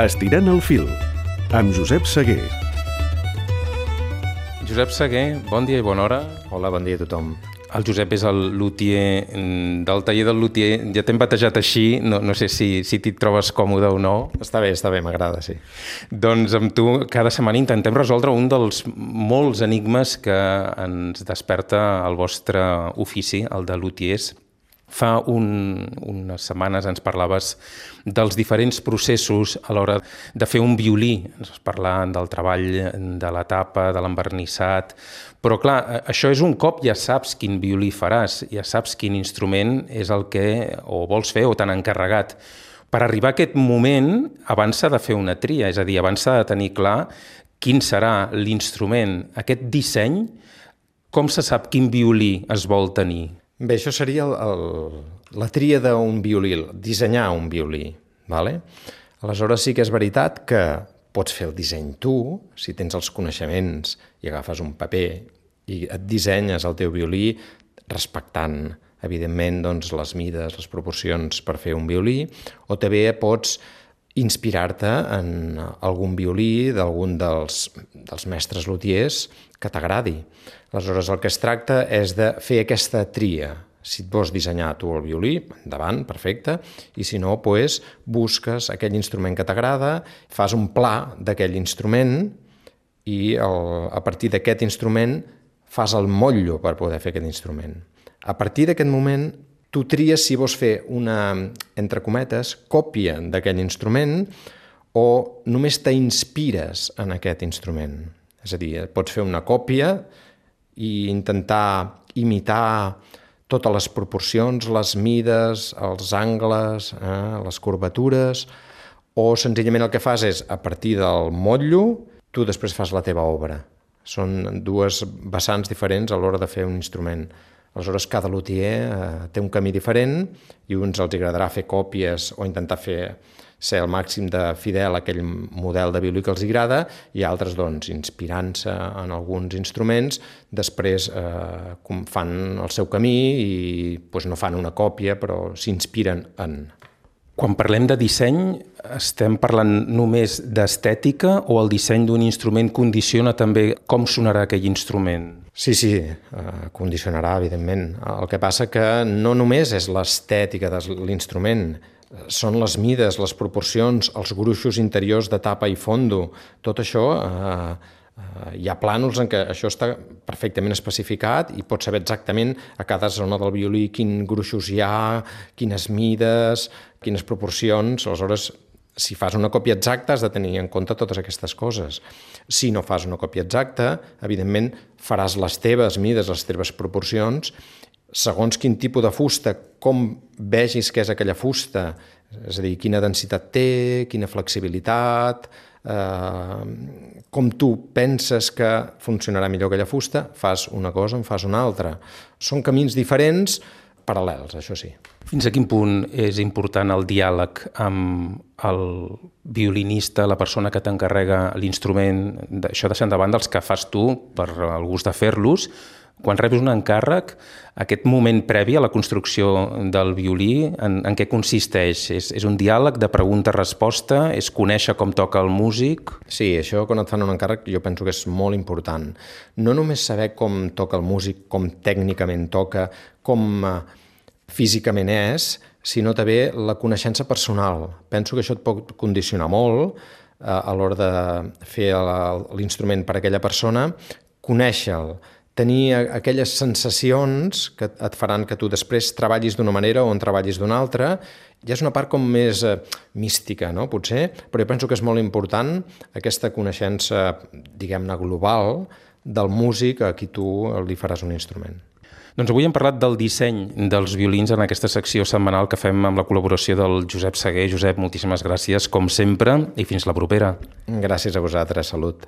Estirant el fil, amb Josep Seguer. Josep Seguer, bon dia i bona hora. Hola, bon dia a tothom. El Josep és el luthier del taller del luthier. Ja t'hem batejat així, no sé si t'hi trobes còmode o no. Està bé, m'agrada, sí. Doncs amb tu cada setmana intentem resoldre un dels molts enigmes que ens desperta el vostre ofici, el de luthiers. Fa unes setmanes ens parlaves dels diferents processos a l'hora de fer un violí. Ens parlaven del treball de la tapa, de l'envernissat. Però clar, això és un cop ja saps quin violí faràs, ja saps quin instrument és el que o vols fer o t'han encarregat. Per arribar a aquest moment, abans s'ha de fer una tria, és a dir, abans s'ha de tenir clar quin serà l'instrument, aquest disseny, com se sap quin violí es vol tenir. Bé, això seria la tria d'un violí, dissenyar un violí. Vale? Aleshores sí que és veritat que pots fer el disseny tu, si tens els coneixements i agafes un paper i et dissenyes el teu violí respectant, evidentment, doncs, les mides, les proporcions per fer un violí, o també pots inspirar-te en algun violí d'algun dels mestres luthiers que t'agradi. Aleshores, el que es tracta és de fer aquesta tria. Si et vols dissenyar tu el violí, endavant, perfecte, i si no, doncs, busques aquell instrument que t'agrada, fas un pla d'aquell instrument i a partir d'aquest instrument fas el motllo per poder fer aquest instrument. A partir d'aquest moment, tu tries si vols fer una, entre cometes, còpia d'aquell instrument o només t'inspires en aquest instrument. És a dir, pots fer una còpia i intentar imitar totes les proporcions, les mides, els angles, les curvatures, o senzillament el que fas és, a partir del motllo, tu després fas la teva obra. Són dues vessants diferents a l'hora de fer un instrument. Aleshores, cada luthier té un camí diferent i uns els agradarà fer còpies o intentar ser el màxim de fidel a aquell model de violí que els agrada i altres, doncs, inspirant-se en alguns instruments, després fan el seu camí i doncs, no fan una còpia, però s'inspiren en. Quan parlem de disseny, estem parlant només d'estètica o el disseny d'un instrument condiciona també com sonarà aquell instrument? Sí, condicionarà, evidentment. El que passa que no només és l'estètica de l'instrument, són les mides, les proporcions, els gruixos interiors de tapa i fondo. Tot això, hi ha plànols en què això està perfectament especificat i pots saber exactament a cada zona del violí quins gruixos hi ha, quines mides, quines proporcions. Aleshores, si fas una còpia exacta has de tenir en compte totes aquestes coses. Si no fas una còpia exacta, evidentment faràs les teves mides, les teves proporcions, segons quin tipus de fusta, com vegis que és aquella fusta, és a dir, quina densitat té, quina flexibilitat, com tu penses que funcionarà millor aquella fusta, fas una cosa o en fas una altra. Són camins diferents, paral·lels, això sí. Fins a quin punt és important el diàleg amb el violinista, la persona que t'encarrega l'instrument, això deixant de banda els que fas tu per el gust de fer-los? Quan rebis un encàrrec, aquest moment previ a la construcció del violí, en què consisteix? És un diàleg de pregunta-resposta? És conèixer com toca el músic? Sí, això quan et fan un encàrrec jo penso que és molt important. No només saber com toca el músic, com tècnicament toca, com físicament és, sinó també la coneixença personal. Penso que això et pot condicionar molt a l'hora de fer l'instrument per a aquella persona, conèixer-lo, tenir aquelles sensacions que et faran que tu després treballis d'una manera o en treballis d'una altra. Ja és una part com més mística, no? Potser, però jo penso que és molt important aquesta coneixença, diguem-ne, global del músic a qui tu li faràs un instrument. Doncs avui hem parlat del disseny dels violins en aquesta secció setmanal que fem amb la col·laboració del Josep Seguer. Josep, moltíssimes gràcies, com sempre, i fins la propera. Gràcies a vosaltres, salut.